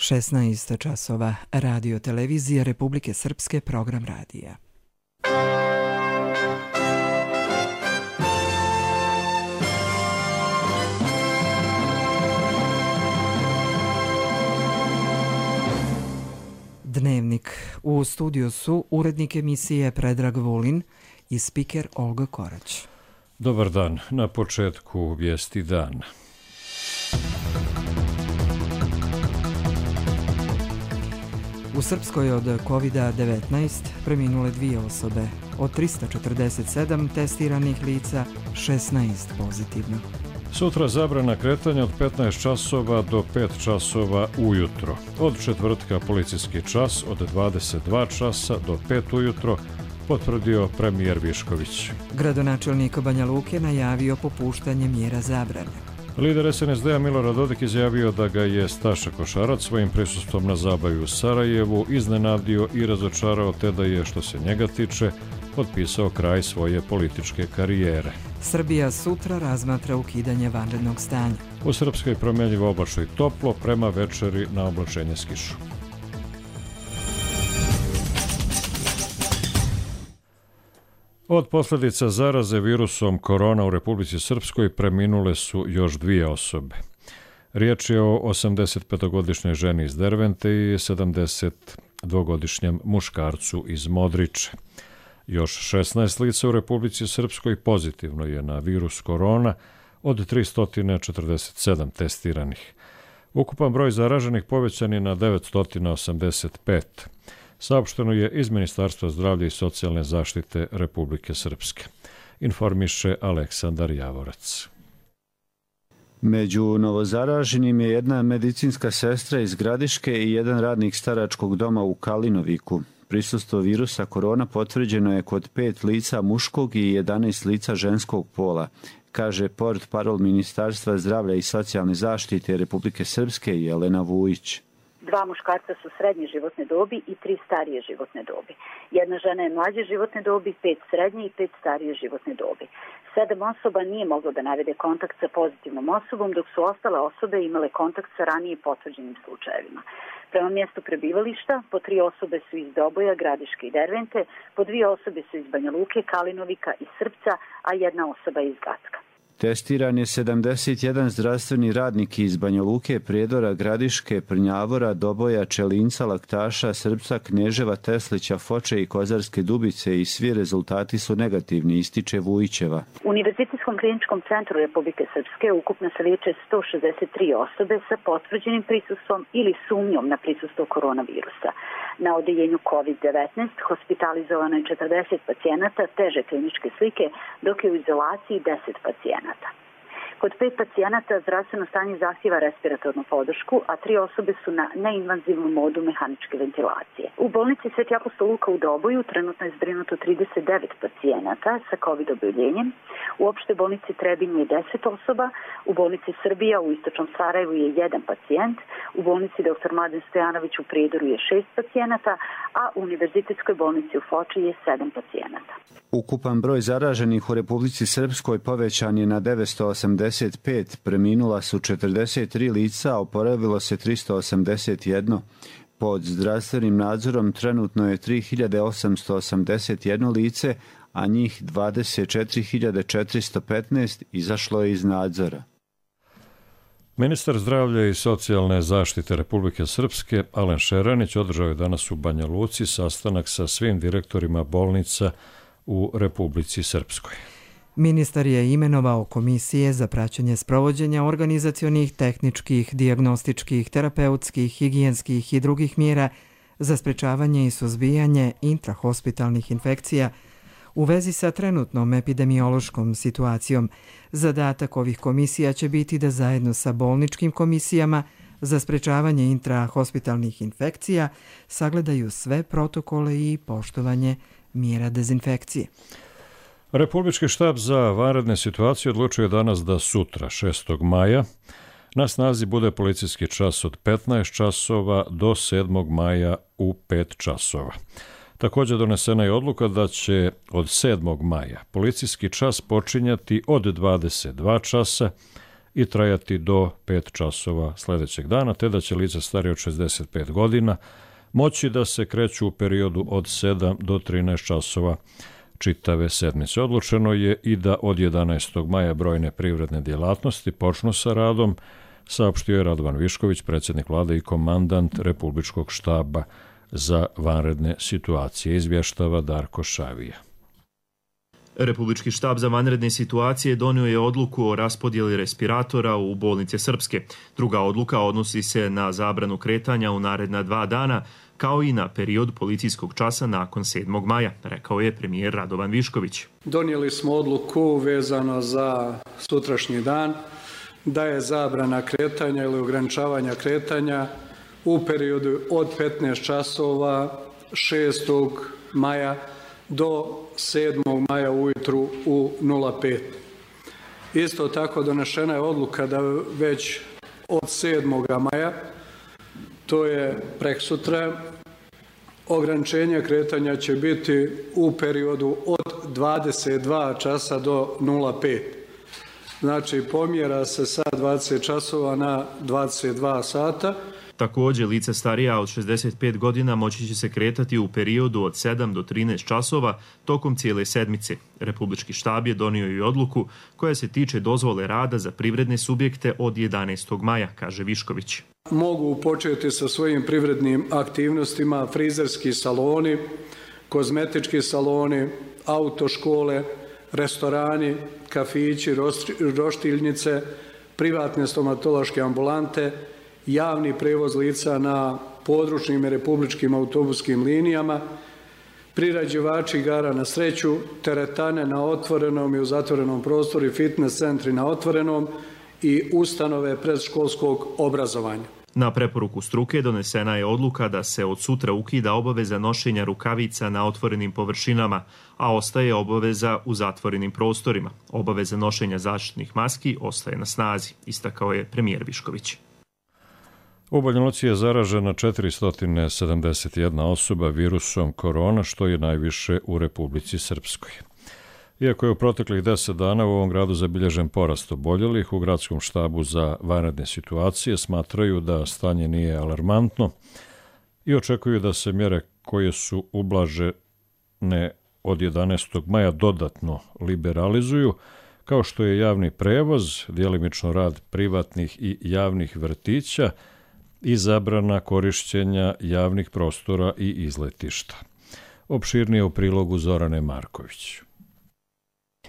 16 časova, Radio televizija Republike Srpske, program radija. Dnevnik. U studiju su urednik emisije Predrag Vulin i spiker Olga Korać. Dobar dan. Na početku vijesti dana. U Srpskoj od COVID-19 preminule 2 osobe. Od 347 testiranih lica, 16 pozitivno. Sutra zabrana kretanja od 15 časova do 5 časova ujutro. Od četvrtka policijski čas od 22 časa do 5 ujutro, potvrdio premijer Višković. Gradonačelnik Banja Luke najavio popuštanje mjera zabrane. Lider SNSD-a Milorad Dodik izjavio da ga je Staša Košarac svojim prisustvom na zabavi u Sarajevu iznenadio i razočarao, te da je, što se njega tiče, potpisao kraj svoje političke karijere. Srbija sutra razmatra ukidanje vanrednog stanja. U Srpskoj promjenjivo oblačno i toplo, prema večeri na oblačenje s kišom. Od posljedica zaraze virusom korona u Republici Srpskoj preminule su još 2 osobe. Riječ je o 85-godišnjoj ženi iz Dervente i 72-godišnjem muškarcu iz Modriče. Još 16 lica u Republici Srpskoj pozitivno je na virus korona od 347 testiranih. Ukupan broj zaraženih povećan je na 985. Saopšteno je iz Ministarstva zdravlja i socijalne zaštite Republike Srpske. Informiše Aleksandar Javorac. Među novozaraženim je jedna medicinska sestra iz Gradiške i jedan radnik staračkog doma u Kalinoviku. Prisustvo virusa korona potvrđeno je kod 5 lica muškog i 11 lica ženskog pola, kaže portparol Ministarstva zdravlja i socijalne zaštite Republike Srpske Jelena Vujić. 2 muškarca su srednje životne dobi i 3 starije životne dobi. Jedna žena je mlađe životne dobi, 5 srednje i 5 starije životne dobi. 7 osoba nije moglo da navede kontakt sa pozitivnom osobom, dok su ostale osobe imale kontakt sa ranije potvrđenim slučajevima. Prema mjestu prebivališta, po 3 osobe su iz Doboja, Gradiške i Dervente, po 2 osobe su iz Banja Luke, Kalinovika i Srpca, a 1 osoba iz Gacka. Testiran je 71 zdravstveni radnik iz Banja Luke, Prijedora, Gradiške, Prnjavora, Doboja, Čelinca, Laktaša, Srpca, Kneževa, Teslića, Foče i Kozarske Dubice i svi rezultati su negativni, ističe Vujićeva. U Univerzitetskom kliničkom centru Republike Srpske ukupno se liječe 163 osobe sa potvrđenim prisustvom ili sumnjom na prisustvo koronavirusa. Na odeljenju COVID-19 hospitalizovano je 40 pacijenata teže kliničke slike, dok je u izolaciji 10 pacijenata. Kod 5 pacijenata zdravstveno stanje zahtjeva respiratornu podršku, a 3 osobe su na neinvazivnom modu mehaničke ventilacije. U bolnici Sveti apostol Luka u Doboju trenutno je zbrinuto 39 pacijenata sa COVID oboljenjem. U opštoj bolnici Trebinje je 10 osoba, u bolnici Srbija u istočnom Sarajevu je 1 pacijent, u bolnici Dr. Mladen Stojanović u Prijedoru je 6 pacijenata, a u Univerzitetskoj bolnici u Foči je 7 pacijenata. Ukupan broj zaraženih u Republici Srpskoj povećan je na 985, preminula su 43 lica, a oporavilo se 381. Pod zdravstvenim nadzorom trenutno je 3881 lice, a njih 24.415 izašlo je iz nadzora. Ministar zdravlja i socijalne zaštite Republike Srpske Alen Šeranić održao je danas u Banja Luci sastanak sa svim direktorima bolnica u Republici Srpskoj. Ministar je imenovao komisije za praćenje sprovođenja organizacionih, tehničkih, dijagnostičkih, terapeutskih, higijenskih i drugih mjera za sprečavanje i suzbijanje intrahospitalnih infekcija u vezi sa trenutnom epidemiološkom situacijom. Zadatak ovih komisija će biti da zajedno sa bolničkim komisijama za sprečavanje intrahospitalnih infekcija sagledaju sve protokole i poštovanje mjera dezinfekcije. Republički štab za vanredne situacije odlučuje danas da sutra, 6. maja, na snazi bude policijski čas od 15 časova do 7. maja u 5 časova. Također donesena je odluka da će od 7. maja policijski čas počinjati od 22 časa i trajati do 5 časova sljedećeg dana, te da će lica starije od 65 godina moći da se kreću u periodu od 7 do 13 časova čitave sedmice. Odlučeno je i da od 11. maja brojne privredne djelatnosti počnu sa radom, saopštio je Radovan Višković, predsjednik vlade i komandant Republičkog štaba za vanredne situacije, izvještava Darko Šavija. Republički štab za vanredne situacije donio je odluku o raspodjeli respiratora u bolnice Srpske. Druga odluka odnosi se na zabranu kretanja u naredna 2 dana, kao i na period policijskog časa nakon 7. maja, rekao je premijer Radovan Višković. Donijeli smo odluku vezano za sutrašnji dan, da je zabrana kretanja ili ograničavanja kretanja u periodu od 15 časova 6. maja do 7. maja ujutru u 05. Isto tako donešena je odluka da već od 7. maja, to je preksutra, ograničenje kretanja će biti u periodu od 22 časa do 05. Znači, pomjera se sa 20 časova na 22 sata. Također, lica starija od 65 godina moći će se kretati u periodu od 7 do 13 časova tokom cijele sedmice. Republički štab je donio i odluku koja se tiče dozvole rada za privredne subjekte od 11. maja, kaže Višković. Mogu početi sa svojim privrednim aktivnostima frizerski saloni, kozmetički saloni, autoškole, restorani, kafići, roštiljnice, privatne stomatološke ambulante, javni prevoz lica na područnim i republičkim autobuskim linijama, priređivači igara na sreću, teretane na otvorenom i u zatvorenom prostoru i fitness centri na otvorenom i ustanove predškolskog obrazovanja. Na preporuku struke donesena je odluka da se od sutra ukida obaveza nošenja rukavica na otvorenim površinama, a ostaje obaveza u zatvorenim prostorima. Obaveza nošenja zaštitnih maski ostaje na snazi, istakao je premijer Višković. U Banja Luci je zaražena 471 osoba virusom korona, što je najviše u Republici Srpskoj. Iako je u proteklih 10 dana u ovom gradu zabilježen porast oboljelih, u gradskom štabu za vanredne situacije smatraju da stanje nije alarmantno i očekuju da se mjere koje su ublažene od 11. maja dodatno liberalizuju, kao što je javni prevoz, djelimično rad privatnih i javnih vrtića i zabrana korišćenja javnih prostora i izletišta. Opširnije u prilogu Zorane Marković.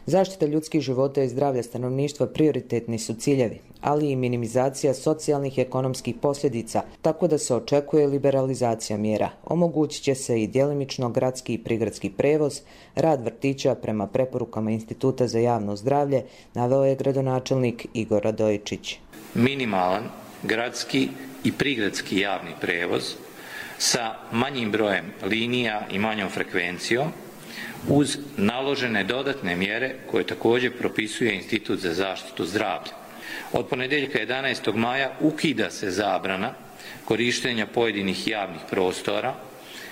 Zaštita ljudskih života i zdravlja stanovništva prioritetni su ciljevi, ali i minimizacija socijalnih i ekonomskih posljedica, tako da se očekuje liberalizacija mjera. Omogućit će se i djelimično gradski i prigradski prevoz, rad vrtića prema preporukama Instituta za javno zdravlje, naveo je gradonačelnik Igor Radojičić. Minimalan gradski i prigradski javni prevoz sa manjim brojem linija i manjom frekvencijom, uz naložene dodatne mjere koje također propisuje Institut za zaštitu zdravlja. Od ponedjeljka 11. maja ukida se zabrana korištenja pojedinih javnih prostora,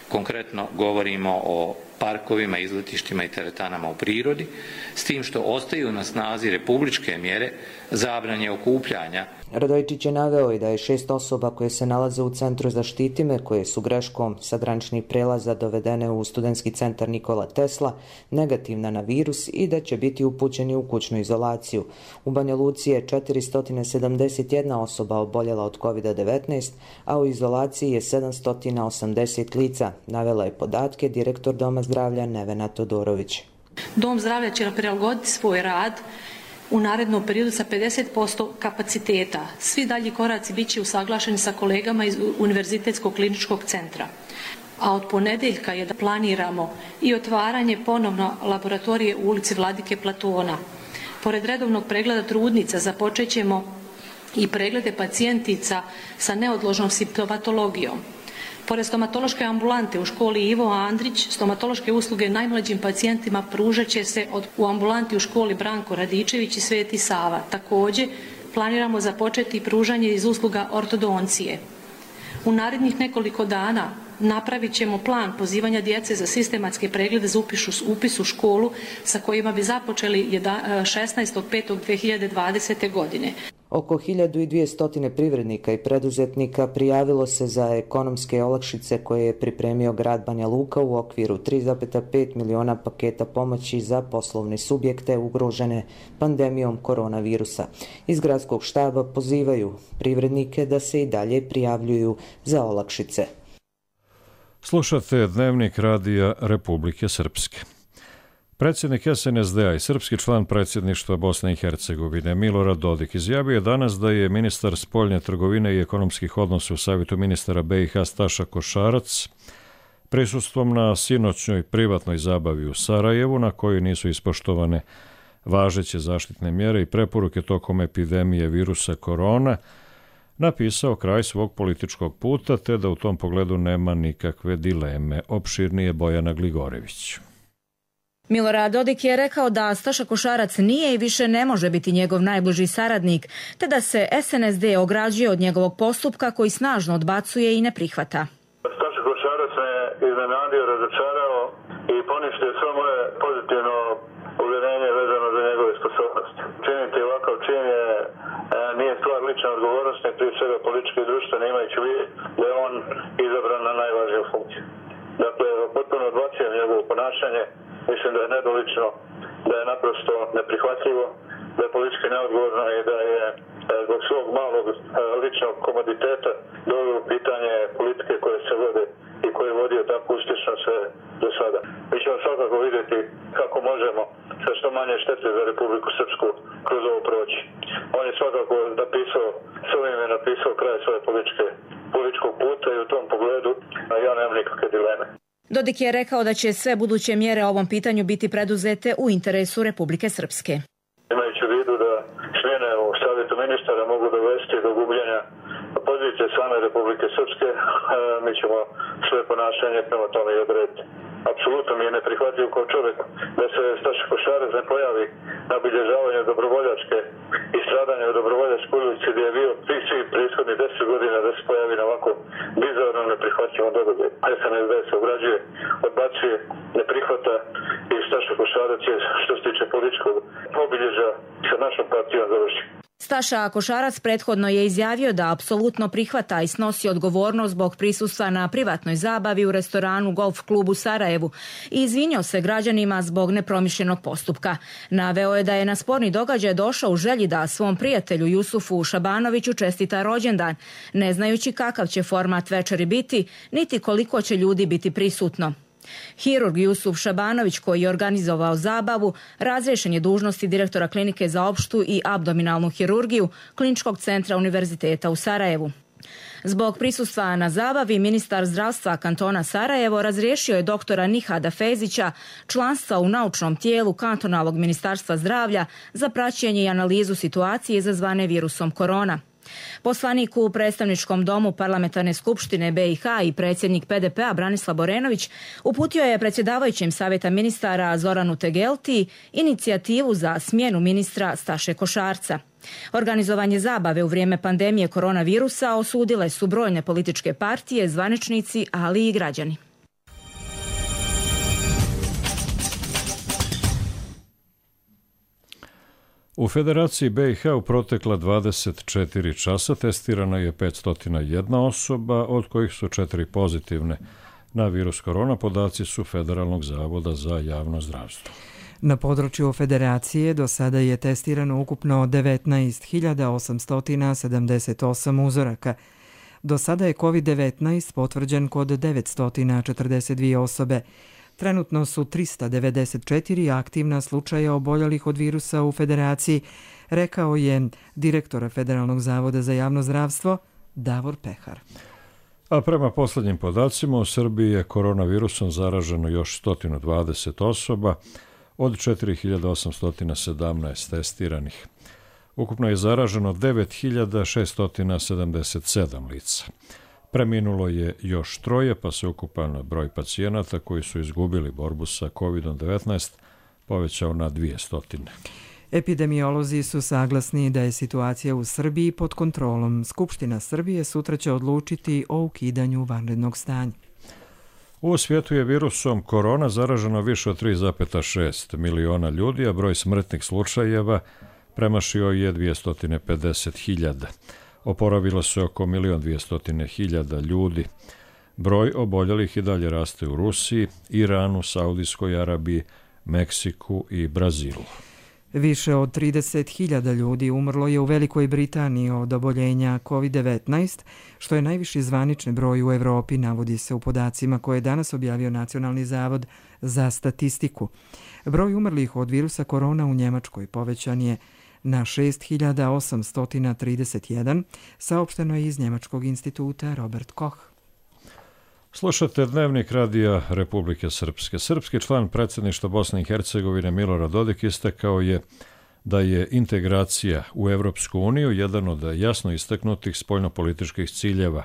konkretno govorimo o parkovima, izletištima i teretanama u prirodi, s tim što ostaju na snazi republičke mjere zabrane okupljanja. Radojičić je naveo i da je 6 osoba koje se nalaze u centru Zaštiti me, koje su greškom sa graničnih prelaza dovedene u studentski centar Nikola Tesla, negativna na virus i da će biti upućeni u kućnu izolaciju. U Banja Luci je 471 osoba oboljela od COVID-19, a u izolaciji je 780 lica, navela je podatke direktor Doma zdravlja Nevena Todorović. Dom zdravlja će prilagoditi svoj rad u narednom periodu sa 50% kapaciteta. Svi dalji koraci bit će usaglašeni sa kolegama iz Univerzitetskog kliničkog centra. A od ponedjeljka je da planiramo i otvaranje ponovno laboratorije u ulici Vladike Platona. Pored redovnog pregleda trudnica započet ćemo i preglede pacijentica sa neodložnom simptomatologijom. Pored stomatološke ambulante u školi Ivo Andrić, stomatološke usluge najmlađim pacijentima pružat će se u ambulanti u školi Branko Radičević i Sveti Sava. Također, planiramo započeti pružanje iz usluga ortodoncije. U narednih nekoliko dana napravit ćemo plan pozivanja djece za sistematske preglede za upis u školu sa kojima bi započeli 16.5.2020. godine. Oko 1200 privrednika i preduzetnika prijavilo se za ekonomske olakšice koje je pripremio grad Banja Luka u okviru 3,5 miliona paketa pomoći za poslovne subjekte ugrožene pandemijom koronavirusa. Iz gradskog štaba pozivaju privrednike da se i dalje prijavljuju za olakšice. Slušate Dnevnik radija Republike Srpske. Predsjednik SNSD-a i srpski član predsjedništva Bosne i Hercegovine Milorad Dodik izjavio je danas da je ministar spoljne trgovine i ekonomskih odnosa u Savjetu ministara BiH Staša Košarac prisustvom na sinoćnoj privatnoj zabavi u Sarajevu, na kojoj nisu ispoštovane važeće zaštitne mjere i preporuke tokom epidemije virusa korona, napisao kraj svog političkog puta, te da u tom pogledu nema nikakve dileme. Opširnije Bojana Gligorević. Milorad Dodik je rekao da Staša Košarac nije i više ne može biti njegov najbliži saradnik, te da se SNSD ograđuje od njegovog postupka koji snažno odbacuje i ne prihvata. Staša Košarac me iznenadio, razočarao i poništio sve moje pozitivno uvjerenje vezano za njegove sposobnosti. Činiti ovakav čin nije stvar lične odgovornosti, prije svega političke i društvene, imajući vid da je on izabran na najvažniju funkciju. Dakle, potpuno odbacujem njegovo ponašanje. Mislim da je nedolično, da je naprosto neprihvatljivo, da je politički neodgovorno i da je zbog svog malog ličnog komoditeta doveo u pitanje politike koje se vode i koje je vodio tako uspješno sve do sada. Mi ćemo svakako vidjeti kako možemo sa što manje štete za Republiku Srpsku kroz ovo proći. On je svakako napisao, s ovim je napisao kraj svoje političkog puta i u tom pogledu ja nemam nikakve dileme. Dodik je rekao da će sve buduće mjere o ovom pitanju biti preduzete u interesu Republike Srpske. Imajući u vidu da smjene u Savjetu ministara mogu dovesti do gubljenja pozicije same Republike Srpske, mi ćemo sve ponašanje prema tome i odrediti. Apsolutno mi je neprihvatljivo kao čovjek da se Staša Košarac ne pojavi na obilježavanju dobrovoljačke i stradanja u dobrovoljačkoj ulici gdje je bio svih prethodnih 10 godina da se pojavi na ovako bizarno neprihvatljivom događaju. SNSD se ograđuje, odbacuje, ne prihvata i Staša Košarac je, što se tiče političkog obilježja, sa našom partijom završi. Staša Košarac prethodno je izjavio da apsolutno prihvata i snosi odgovornost zbog prisustva na privatnoj zabavi u restoranu Golf klubu Sarajevu i izvinio se građanima zbog nepromišljenog postupka. Naveo je da je na sporni događaj došao u želji da svom prijatelju Jusufu Šabanoviću čestita rođendan, ne znajući kakav će format večeri biti, niti koliko će ljudi biti prisutno. Hirurg Jusuf Šabanović, koji je organizovao zabavu, razriješen je dužnosti direktora klinike za opštu i abdominalnu hirurgiju Kliničkog centra Univerziteta u Sarajevu. Zbog prisustva na zabavi, ministar zdravstva kantona Sarajevo razriješio je doktora Nihada Fezića članstva u naučnom tijelu kantonalnog ministarstva zdravlja za praćenje i analizu situacije izazvane virusom korona. Poslanik u predstavničkom domu Parlamentarne skupštine BiH i predsjednik PDP-a Branislav Borenović uputio je predsjedavajućem Savjeta ministara Zoranu Tegelti inicijativu za smjenu ministra Staše Košarca. Organizovanje zabave u vrijeme pandemije koronavirusa osudile su brojne političke partije, zvaničnici, ali i građani. U Federaciji BiH u protekla 24 časa testirana je 501 osoba, od kojih su 4 pozitivne na virus korona. Podaci su Federalnog zavoda za javno zdravstvo. Na području Federacije do sada je testirano ukupno 19.878 uzoraka. Do sada je COVID-19 potvrđen kod 942 osobe. Trenutno su 394 aktivna slučaja oboljelih od virusa u Federaciji, rekao je direktor Federalnog zavoda za javno zdravstvo Davor Pehar. A prema posljednjim podacima u Srbiji je koronavirusom zaraženo još 120 osoba od 4.817 testiranih. Ukupno je zaraženo 9.677 lica. Preminulo je još 3, pa se ukupan broj pacijenata koji su izgubili borbu sa COVID-19 povećao na 200. Epidemiolozi su saglasni da je situacija u Srbiji pod kontrolom. Skupština Srbije sutra će odlučiti o ukidanju vanrednog stanja. U svijetu je virusom korona zaraženo više od 3,6 miliona ljudi, a broj smrtnih slučajeva premašio je 250.000. Oporavilo se oko 1.200.000 ljudi. Broj oboljelih i dalje raste u Rusiji, Iranu, Saudijskoj Arabiji, Meksiku i Brazilu. Više od 30.000 ljudi umrlo je u Velikoj Britaniji od oboljenja COVID-19, što je najviši zvanični broj u Evropi, navodi se u podacima koje je danas objavio Nacionalni zavod za statistiku. Broj umrlih od virusa korona u Njemačkoj povećan je na 6.831, saopšteno je iz Njemačkog instituta Robert Koch. Slušate Dnevnik radija Republike Srpske. Srpski član predsjedništva Bosne i Hercegovine Milorad Dodik istakao je da je integracija u Evropsku uniju jedan od jasno istaknutih spoljnopolitičkih ciljeva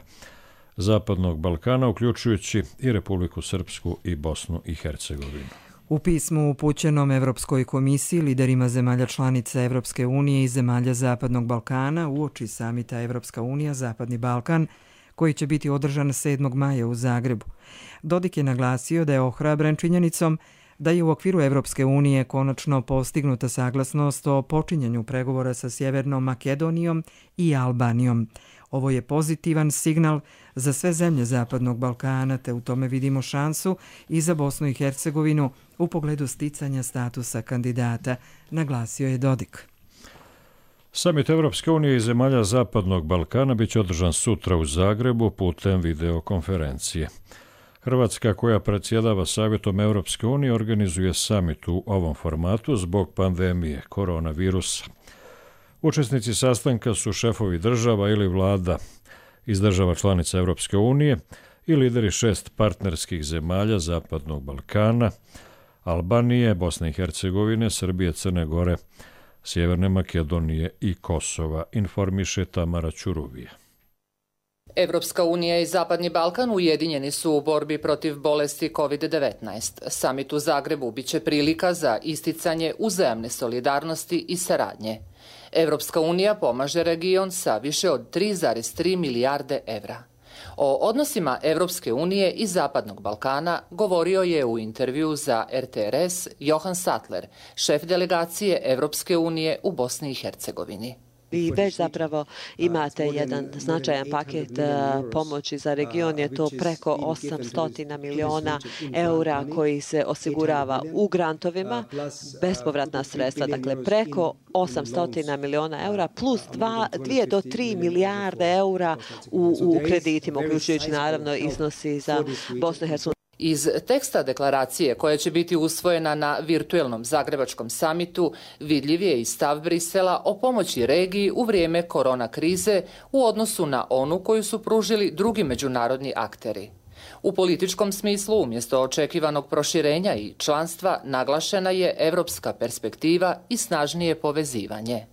Zapadnog Balkana, uključujući i Republiku Srpsku i Bosnu i Hercegovinu. U pismu upućenom Evropskoj komisiji, liderima zemalja članica Evropske unije i zemalja Zapadnog Balkana uoči samita Evropska unija Zapadni Balkan, koji će biti održan 7. maja u Zagrebu. Dodik je naglasio da je ohrabren činjenicom da je u okviru Evropske unije konačno postignuta saglasnost o počinjanju pregovora sa Sjevernom Makedonijom i Albanijom. Ovo je pozitivan signal za sve zemlje Zapadnog Balkana, te u tome vidimo šansu i za Bosnu i Hercegovinu u pogledu sticanja statusa kandidata, naglasio je Dodik. Samit Evropske unije i zemalja Zapadnog Balkana biće održan sutra u Zagrebu putem videokonferencije. Hrvatska, koja predsjedava Savjetom Evropske unije, organizuje samit u ovom formatu zbog pandemije koronavirusa. Učesnici sastanka su šefovi država ili vlada iz država članica Evropske unije i lideri 6 partnerskih zemalja Zapadnog Balkana, Albanije, Bosne i Hercegovine, Srbije, Crne Gore, Sjeverne Makedonije i Kosova, informiše Tamara Ćuruvija. Evropska unija i Zapadni Balkan ujedinjeni su u borbi protiv bolesti COVID-19. Samit u Zagrebu biće prilika za isticanje uzajamne solidarnosti i saradnje. Evropska unija pomaže region sa više od 3,3 milijarde evra. O odnosima Evropske unije i Zapadnog Balkana govorio je u intervju za RTRS Johan Sattler, šef delegacije Evropske unije u Bosni i Hercegovini. Vi već zapravo imate jedan značajan paket pomoći za region, je to preko 800 miliona eura koji se osigurava u grantovima, bespovratna sredstva, dakle preko 800 miliona eura plus 2 do 3 milijarde eura u kreditima, uključujući naravno iznosi za Bosnu i Hercegovinu. Iz teksta deklaracije koja će biti usvojena na virtuelnom zagrebačkom samitu vidljiv je i stav Brisela o pomoći regiji u vrijeme korona krize u odnosu na onu koju su pružili drugi međunarodni akteri. U političkom smislu, umjesto očekivanog proširenja i članstva, naglašena je evropska perspektiva i snažnije povezivanje.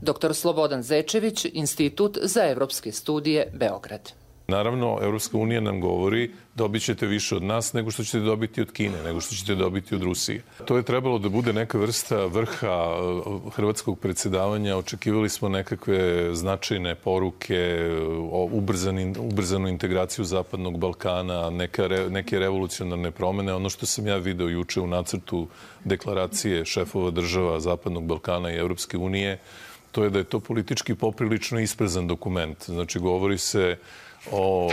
Dr. Slobodan Zečević, Institut za evropske studije, Beograd. Naravno, Evropska unija nam govori dobit ćete više od nas nego što ćete dobiti od Kine, nego što ćete dobiti od Rusije. To je trebalo da bude neka vrsta vrha hrvatskog predsjedavanja. Očekivali smo nekakve značajne poruke o ubrzanu integraciju Zapadnog Balkana, neke revolucionarne promene. Ono što sam ja video juče u nacrtu deklaracije šefova država Zapadnog Balkana i Evropske unije, to je da je to politički poprilično isprezan dokument. Znači, govori se o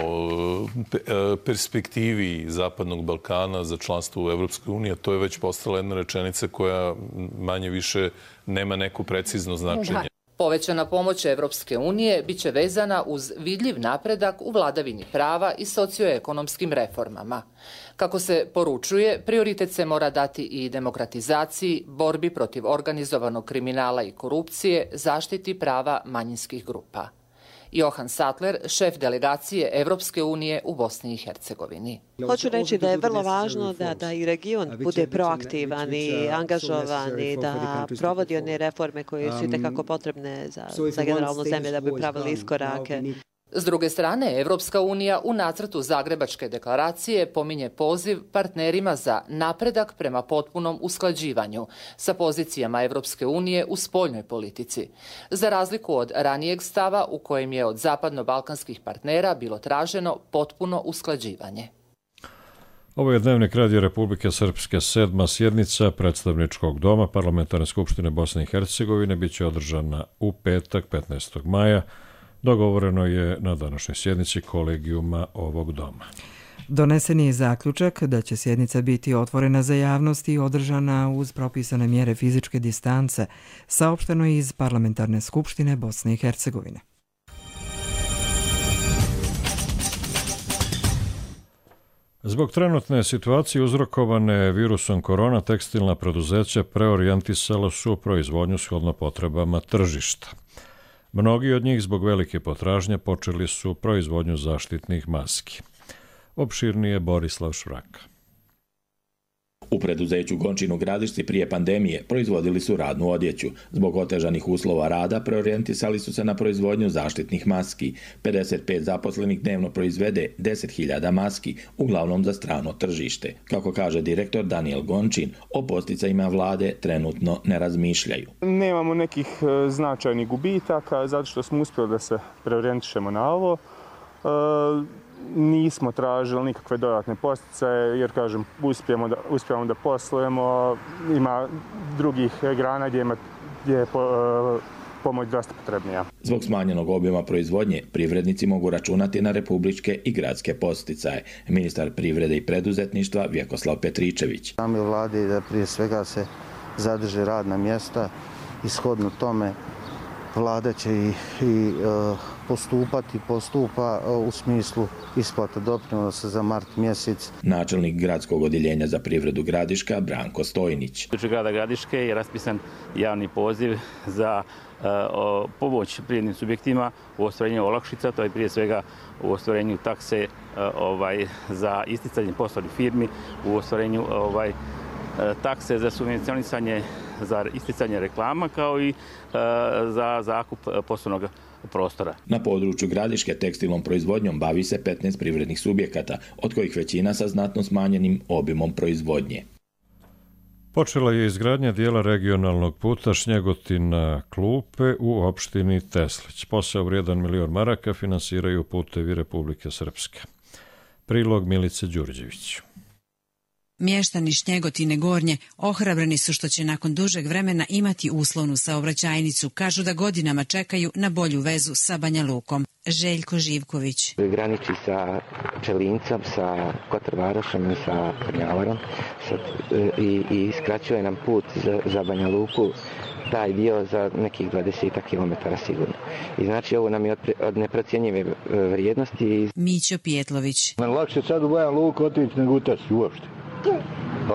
perspektivi Zapadnog Balkana za članstvo u Evropskoj uniji, a to je već postala jedna rečenica koja manje više nema neko precizno značenje. Povećana pomoć Evropske unije biće vezana uz vidljiv napredak u vladavini prava i socioekonomskim reformama. Kako se poručuje, prioritet se mora dati i demokratizaciji, borbi protiv organizovanog kriminala i korupcije, zaštiti prava manjinskih grupa. Johan Sattler, šef delegacije Evropske unije u Bosni i Hercegovini. Hoću reći da je vrlo važno da i region bude proaktivan i angažovan i da provodi one reforme koje su itekako potrebne za generalnu zemlju da bi pravili iskorake. S druge strane, Evropska unija u nacrtu Zagrebačke deklaracije pominje poziv partnerima za napredak prema potpunom usklađivanju sa pozicijama Evropske unije u spoljnoj politici, za razliku od ranijeg stava u kojem je od zapadno-balkanskih partnera bilo traženo potpuno usklađivanje. Ovo je Dnevnik Radio Republike Srpske, 7. sjednica Predstavničkog doma Parlamentarne skupštine Bosne i Hercegovine biće održana u petak 15. maja. Dogovoreno je na današnjoj sjednici kolegijuma ovog doma. Donesen je zaključak da će sjednica biti otvorena za javnost i održana uz propisane mjere fizičke distance, saopšteno je iz Parlamentarne skupštine Bosne i Hercegovine. Zbog trenutne situacije uzrokovane virusom korona, tekstilna preduzeća preorijentisala su proizvodnju shodno potrebama tržišta. Mnogi od njih zbog velike potražnje počeli su proizvodnju zaštitnih maski. Opširnije Borislav Švraka. U preduzeću Gončin u Gradišci prije pandemije proizvodili su radnu odjeću. Zbog otežanih uslova rada preorijentisali su se na proizvodnju zaštitnih maski. 55 zaposlenih dnevno proizvede 10.000 maski, uglavnom za strano tržište. Kako kaže direktor Daniel Gončin, o posticajima vlade trenutno ne razmišljaju. Nemamo nekih značajnih gubitaka zato što smo uspjeli da se preorijentišemo na ovo. Nismo tražili nikakve dodatne posticaje jer, kažem, uspijemo da poslujemo. Ima drugih grana gdje je pomoć dosta potrebnija. Zbog smanjenog objema proizvodnje, privrednici mogu računati na republičke i gradske posticaje. Ministar privrede i preduzetništva Vjekoslav Petričević. Nam je vladi da prije svega se zadrže radna mjesta i shodno tome vlada će i postupa u smislu isplata doprinosa za mart mjesec. Načelnik gradskog odjeljenja za privredu Gradiška Branko Stojnić. U grada Gradiške je raspisan javni poziv za pomoć privrednim subjektima u ostvarenju olakšica, to je prije svega u ostvarenju takse za isticanje poslovnih firmi, u ostvarenju takse za subvencionisanje za isticanje reklama kao i za zakup poslovnog prostora. Na području Gradiške tekstilnom proizvodnjom bavi se 15 privrednih subjekata, od kojih većina sa znatno smanjenim obimom proizvodnje. Počela je izgradnja dijela regionalnog puta Šnjegotina-Klupe u opštini Teslić. Posao vrijedan 1 milion maraka finansiraju Putevi Republike Srpske. Prilog Milice Đurđević. Mještani Šnjegotine Gornje ohrabreni su što će nakon dužeg vremena imati uslovnu saobraćajnicu. Kažu da godinama čekaju na bolju vezu sa Banja Lukom. Željko Živković. Graniči sa Pčelincom, sa Kotrvarošom i sa Krnjavarom i skraćuje nam put za Banja Luku, taj dio za nekih 20 km sigurno. I znači ovo nam je od neprocjenjive vrijednosti. Mićo Pijetlović. Lakše sad u Banja Luku otići nego u Teslić uopšte.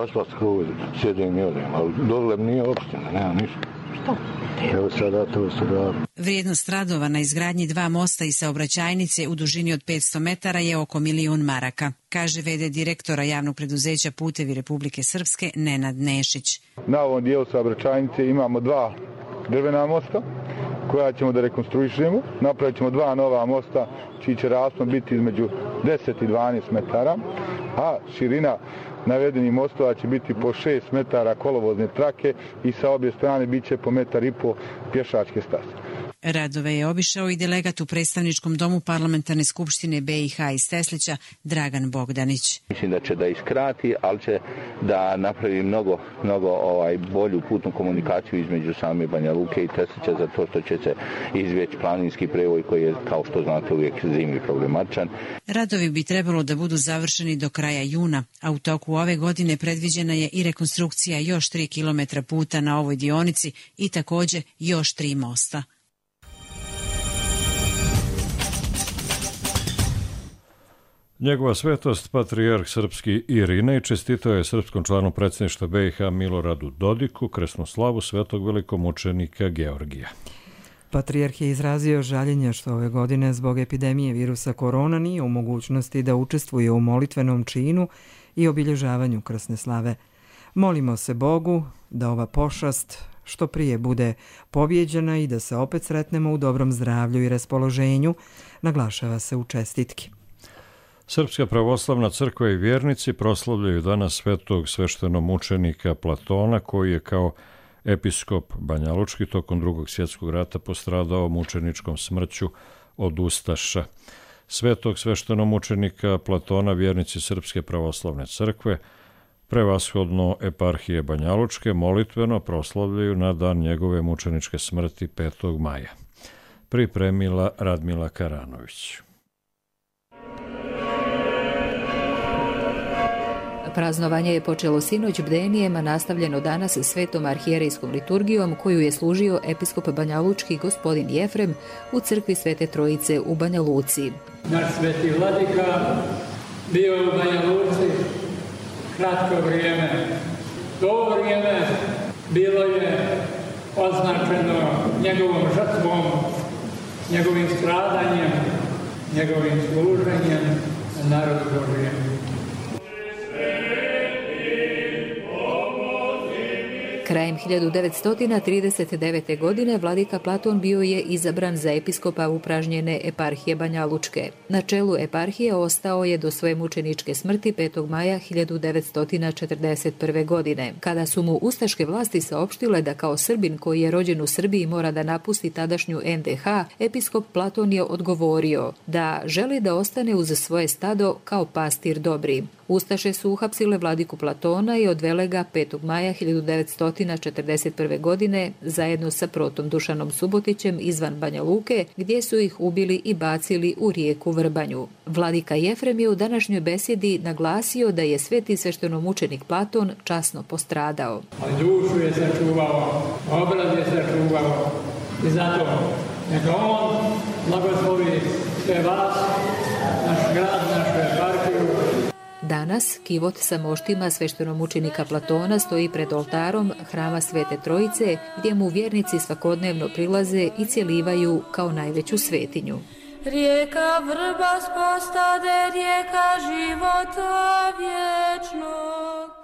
Asfalt skroz sjedim i odem, ali dole nije opština, nema ništa. Što? Evo sada to se da. Vrijednost radova na izgradnji 2 mosta i saobraćajnice u dužini od 500 metara je oko 1 milion maraka, kaže v.d. direktora javnog preduzeća Putevi Republike Srpske Nenad Nešić. Na ovom dijelu saobraćajnice imamo 2 drvena mosta koja ćemo da rekonstruišemo. Napravit ćemo 2 nova mosta čiji će raspon biti između 10 i 12 metara, a širina navedenih mostova će biti po 6 metara kolovozne trake i sa obje strane bit će po 1,5 metar pješačke staze. Radove je obišao i delegat u predstavničkom domu Parlamentarne skupštine BiH iz Teslića Dragan Bogdanić. Mislim da će da iskrati, ali će da napravi mnogo bolju putnu komunikaciju između same Banja Luke i Teslića, zato što će se izvjeći planinski prevoj koji je, kao što znate, uvijek zimi problematičan. Radovi bi trebalo da budu završeni do kraja juna, a u toku ove godine predviđena je i rekonstrukcija još 3 km puta na ovoj dionici i također još 3 mosta. Njegova svetost, patrijarh srpski Irinej, čestitao je srpskom članu predsjedništva BiH Miloradu Dodiku krsnu slavu svetog velikomučenika Georgija. Patrijarh je izrazio žaljenje što ove godine zbog epidemije virusa korona nije u mogućnosti da učestvuje u molitvenom činu i obilježavanju krsne slave. Molimo se Bogu da ova pošast što prije bude pobjeđena i da se opet sretnemo u dobrom zdravlju i raspoloženju, naglašava se u čestitki. Srpska pravoslavna crkva i vjernici proslavljaju danas svetog sveštenomučenika Platona, koji je kao episkop Banjalučki tokom II. Svjetskog rata postradao mučeničkom smrću od ustaša. svetog sveštenomučenika Platona vjernici Srpske pravoslavne crkve, prevashodno eparhije Banjalučke, molitveno proslavljaju na dan njegove mučeničke smrti 5. maja. Pripremila Radmila Karanović. Praznovanje je počelo sinoć bdenijem, a nastavljeno danas svetom arhijerejskom liturgijom koju je služio episkop Banjalučki gospodin Jefrem u crkvi Svete Trojice u Banja Luci. Naš sveti vladika bio je u Banja Luci kratko vrijeme. To vrijeme bilo je označeno njegovom žrtvom, njegovim stradanjem, njegovim služenjem narodu Božijem. Krajem 1939. godine vladika Platon bio je izabran za episkopa upražnjene eparhije Banjalučke. Na čelu eparhije ostao je do svoje mučeničke smrti 5. maja 1941. godine. Kada su mu ustaške vlasti saopštile da kao Srbin koji je rođen u Srbiji mora da napusti tadašnju NDH, episkop Platon je odgovorio da želi da ostane uz svoje stado kao pastir dobri. Ustaše su uhapsile vladiku Platona i odvele ga 5. maja 1941. godine zajedno sa protom Dušanom Subotićem izvan Banja Luke, gdje su ih ubili i bacili u rijeku Vrbanju. Vladika Jefrem je u današnjoj besjedi naglasio da je sveti sveštenomučenik Platon časno postradao. Ali dušu je sačuvao, obraz je sačuvao i zato neka on blagoslovi sve vas, naš grad, našu eparhiju. Danas kivot sa moštima sveštenomučenika Platona stoji pred oltarom hrama Svete Trojice, gdje mu vjernici svakodnevno prilaze i cjelivaju kao najveću svetinju. Rijeka Vrba spostade, rijeka života vječnog.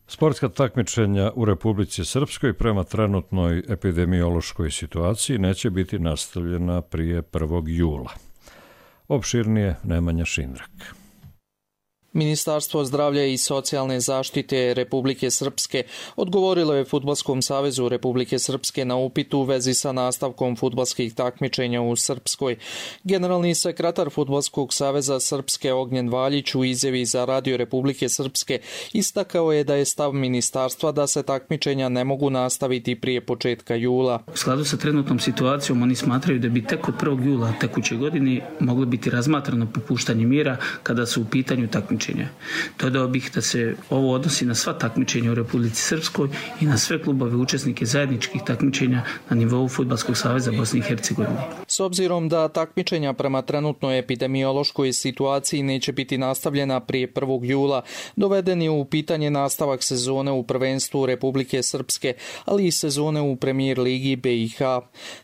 Sportska takmičenja u Republici Srpskoj prema trenutnoj epidemiološkoj situaciji neće biti nastavljena prije 1. jula. Opširnije Nemanja Šindrak. Ministarstvo zdravlja i socijalne zaštite Republike Srpske odgovorilo je Fudbalskom savezu Republike Srpske na upit u vezi sa nastavkom fudbalskih takmičenja u Srpskoj. Generalni sekretar Fudbalskog saveza Srpske Ognjen Valjić u izjavi za Radio Republike Srpske istakao je da je stav ministarstva da se takmičenja ne mogu nastaviti prije početka jula. U skladu sa trenutnom situacijom oni smatraju da bi tek od 1. jula tekuće godine moglo biti razmatrano popuštanje mjera kada su u pitanju takmičenja. Dodao bih da se ovo odnosi na sva takmičenja u Republici Srpskoj i na sve klubove učesnike zajedničkih takmičenja na nivou Fudbalskog saveza Bosne i Hercegovine. S obzirom da takmičenja prema trenutnoj epidemiološkoj situaciji neće biti nastavljena prije 1. jula, doveden je u pitanje nastavak sezone u prvenstvu Republike Srpske, ali i sezone u Premijer ligi BiH.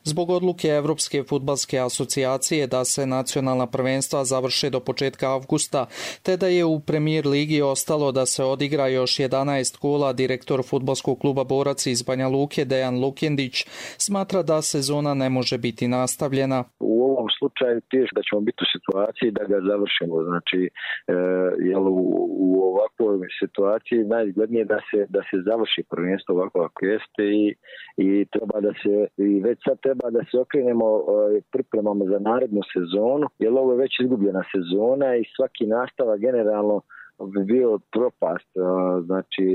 Zbog odluke Evropske fudbalske asocijacije da se nacionalna prvenstva završe do početka avgusta, te da je u Premijer ligi ostalo da se odigra još 11 kola, direktor Fudbalskog kluba Borac iz Banja Luke Dejan Lukjendić smatra da sezona ne može biti nastavljena. U ovom slučaju teško da ćemo biti u situaciji da ga završimo. Znači, u ovakvoj situaciji najizglednije da se završi prvenstvo ovako kako jeste i treba da se, i već sad treba da se okrenemo pripremamo za narednu sezonu, jer ovo je već izgubljena sezona i svaki nastavak generalno bi bio propast, znači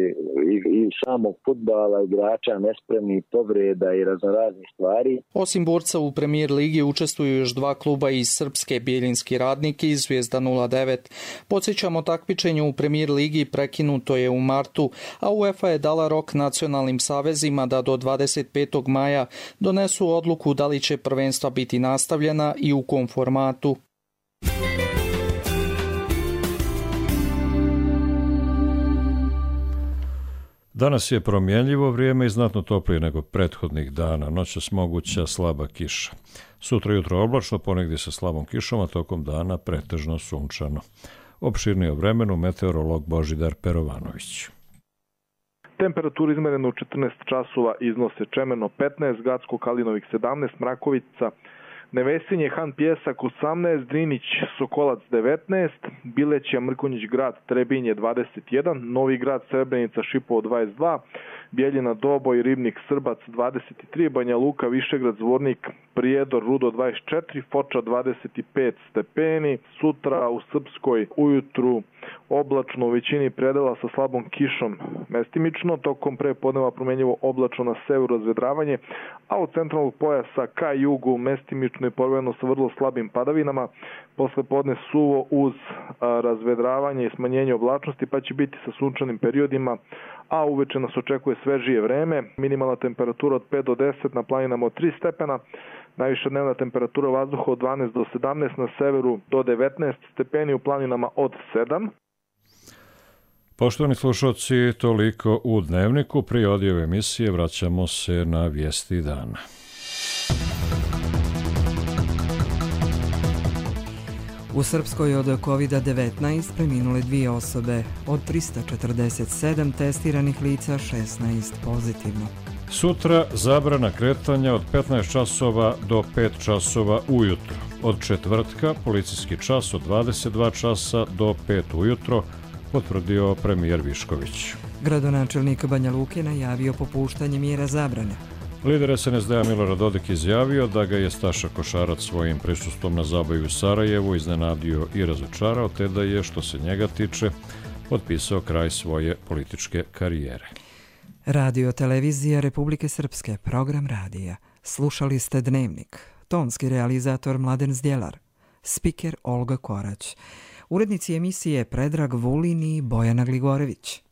i samog fudbala, igrača, nespremnih povreda i raznoraznih stvari. Osim Borca u Premijer ligi učestvuju još 2 kluba iz Srpske, Bjeljinski Radnik i Zvijezda 09. Podsjećamo, takmičenje u Premijer ligi prekinuto je u martu, a UEFA je dala rok nacionalnim savezima da do 25. maja donesu odluku da li će prvenstva biti nastavljena i u kom formatu. Danas je promjenljivo vrijeme i znatno toplije nego prethodnih dana. Noćas moguća slaba kiša. Sutra jutro oblačno, ponegdje sa slabom kišom, a tokom dana pretežno sunčano. Opširnije o vremenu meteorolog Božidar Perovanović. Temperatura izmerena u 14 časova iznose Čemeno 15, Gacko Kalinovik 17, Mrakovica Nevesinje, Han Pjesak 18, Drinić Sokolac 19, Bileća Mrkonjić Grad Trebinje 21, Novi Grad Srebrenica Šipovo 22, Bijeljina Doboj Ribnik Srbac 23, Banja Luka Višegrad Zvornik Prijedor Rudo 24, Foča 25 stepeni, sutra u Srpskoj ujutru oblačno u većini predela sa slabom kišom mestimično, tokom prepodneva promenljivo oblačno na severu razvedravanje, a od centralnog pojasa ka jugu mestimično i povremeno sa vrlo slabim padavinama, posle podne suvo uz razvedravanje i smanjenje oblačnosti, pa će biti sa sunčanim periodima, a uveče nas očekuje svežije vreme, minimalna temperatura od 5 do 10, na planinama od 3 stepena, najviša dnevna temperatura vazduha od 12 do 17, na severu do 19 stepeni, u planinama od 7. Poštovani slušalci, toliko u Dnevniku. Prije odjave emisije vraćamo se na vijesti dana. U Srpskoj od COVID-19 preminule 2 osobe, od 347 testiranih lica 16 pozitivno. Sutra zabrana kretanja od 15 časova do 5 časova ujutro. Od četvrtka policijski čas od 22 časa do 5 ujutro, potvrdio premijer Višković. Gradonačelnik Banja Luke najavio popuštanje mjera zabrane. Lider SNSD-a Milorad Dodik izjavio da ga je Staša Košarac svojim prisustvom na zabavi u Sarajevu iznenadio i razočarao, te da je, što se njega tiče, potpisao kraj svoje političke karijere. Radio televizija Republike Srpske, program radija. Slušali ste Dnevnik. Tonski realizator Mladen Zdjelar. Spiker Olga Korać. Urednici emisije Predrag Vulin i Bojana Gligorević.